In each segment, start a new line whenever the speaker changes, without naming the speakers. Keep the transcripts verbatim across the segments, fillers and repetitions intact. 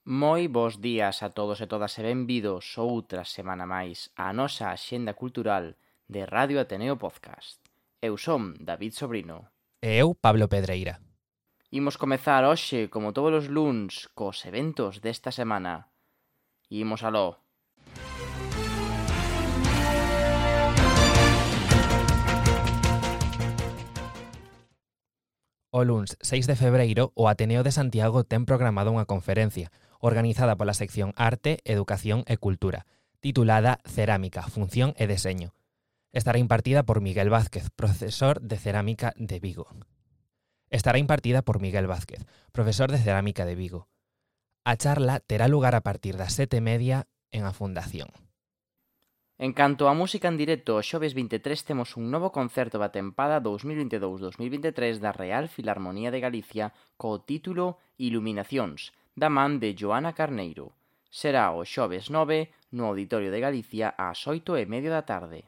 Moi bos días a todos e todas e benvidos outra semana máis á nosa axenda cultural de Radio Ateneo Podcast. Eu son David Sobrino.
E eu, Pablo Pedreira.
Imos comezar hoxe, como todos os luns, cos eventos desta semana. Imos aló.
O luns seis de febreiro, o Ateneo de Santiago ten programado unha conferencia organizada pola sección Arte, Educación e Cultura, titulada Cerámica, Función e Deseño. Estará impartida por Miguel Vázquez, profesor de Cerámica de Vigo. Estará impartida por Miguel Vázquez, profesor de Cerámica de Vigo. A charla terá lugar a partir das sete e media en a Fundación.
En canto á música en directo, o xoves vinte e tres temos un novo concerto da tempada dous mil vinte e dous dous mil vinte e tres da Real Filarmonía de Galicia co título Iluminacións, da man de Joana Carneiro. Será o xoves nove no Auditorio de Galicia ás oito e media da tarde.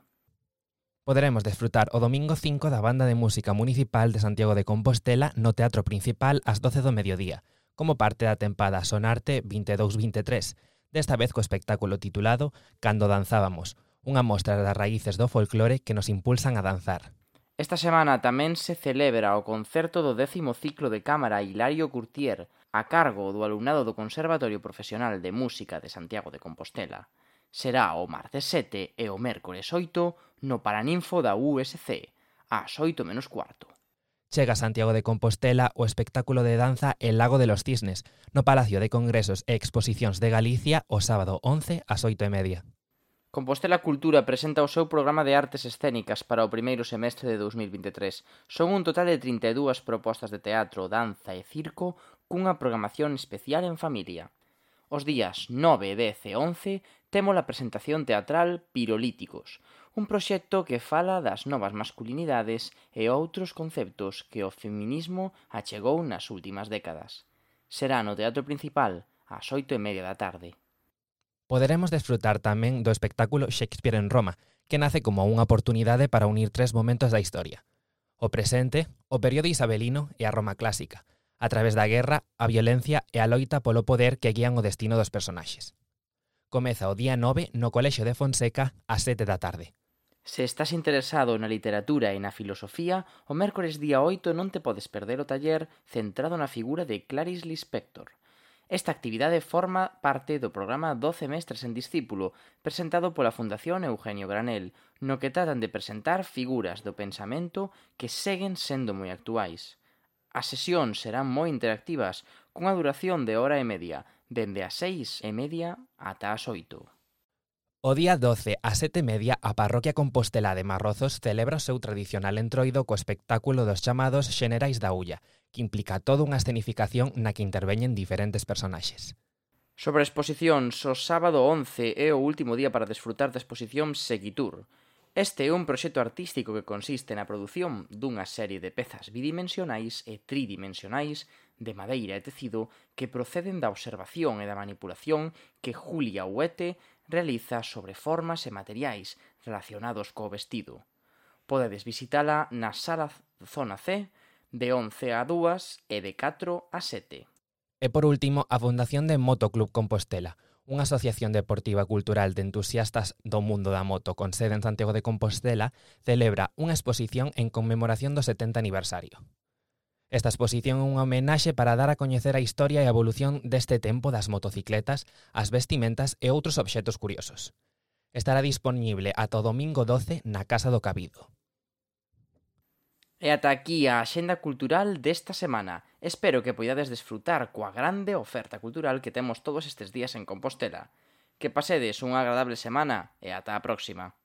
Poderemos desfrutar o domingo cinco da Banda de Música Municipal de Santiago de Compostela no Teatro Principal ás doce do mediodía, como parte da tempada Sonarte vinte e dous vinte e tres, desta vez co espectáculo titulado Cando danzábamos, unha mostra das raíces do folclore que nos impulsan a danzar.
Esta semana tamén se celebra o concerto do décimo ciclo de cámara Hilario Curtier, a cargo do alumnado do Conservatorio Profesional de Música de Santiago de Compostela. Será o martes sete e o mércores oito no Paraninfo da U S C, ás oito menos cuarto.
Chega a Santiago de Compostela o espectáculo de danza El Lago de los Cisnes, no Palacio de Congresos e Exposicións de Galicia o sábado once ás oito e media.
Compostela Cultura presenta o seu programa de artes escénicas para o primeiro semestre de dous mil vinte e tres. Son un total de trinta e dúas propostas de teatro, danza e circo cunha programación especial en familia. Os días nove, dez e once temos a presentación teatral Pirolíticos, un proxecto que fala das novas masculinidades e outros conceptos que o feminismo achegou nas últimas décadas. Será no Teatro Principal ás oito e media da tarde.
Poderemos desfrutar tamén do espectáculo Shakespeare en Roma, que nace como unha oportunidade para unir tres momentos da historia: o presente, o período isabelino e a Roma clásica, a través da guerra, a violencia e a loita polo poder que guían o destino dos personaxes. Comeza o día nove no Colexio de Fonseca ás sete da tarde.
Se estás interesado na literatura e na filosofía, o mércores día oito non te podes perder o taller centrado na figura de Clarice Lispector. Esta actividade forma parte do programa doce mestres en discípulo, presentado pola Fundación Eugenio Granel, no que tratan de presentar figuras do pensamento que seguen sendo moi actuais. As sesións serán moi interactivas, cunha duración de hora e media, dende as seis e media ata as oito.
O día doce ás sete e media, a Parroquia Compostelá de Marrozos celebra o seu tradicional entroido co espectáculo dos chamados Xenerais da Ulla, que implica toda unha escenificación na que interveñen diferentes personaxes.
Sobre exposicións, o sábado once é o último día para desfrutar da exposición Seguitur. Este é un proxecto artístico que consiste na produción dunha serie de pezas bidimensionais e tridimensionais de madeira e tecido que proceden da observación e da manipulación que Julia Huete realiza sobre formas e materiais relacionados co vestido. Podedes visitala na sala Zona C de once a dúas e de catro a sete.
E por último, a Fundación de Motoclub Compostela, unha asociación deportiva cultural de entusiastas do mundo da moto con sede en Santiago de Compostela, celebra unha exposición en conmemoración do setenta aniversario. Esta exposición é unha homenaxe para dar a coñecer a historia e a evolución deste tempo das motocicletas, as vestimentas e outros obxetos curiosos. Estará dispoñible ata o domingo doce na Casa do Cabido.
E ata aquí a axenda cultural desta semana. Espero que poidades desfrutar coa grande oferta cultural que temos todos estes días en Compostela. Que pasedes unha agradable semana e ata a próxima.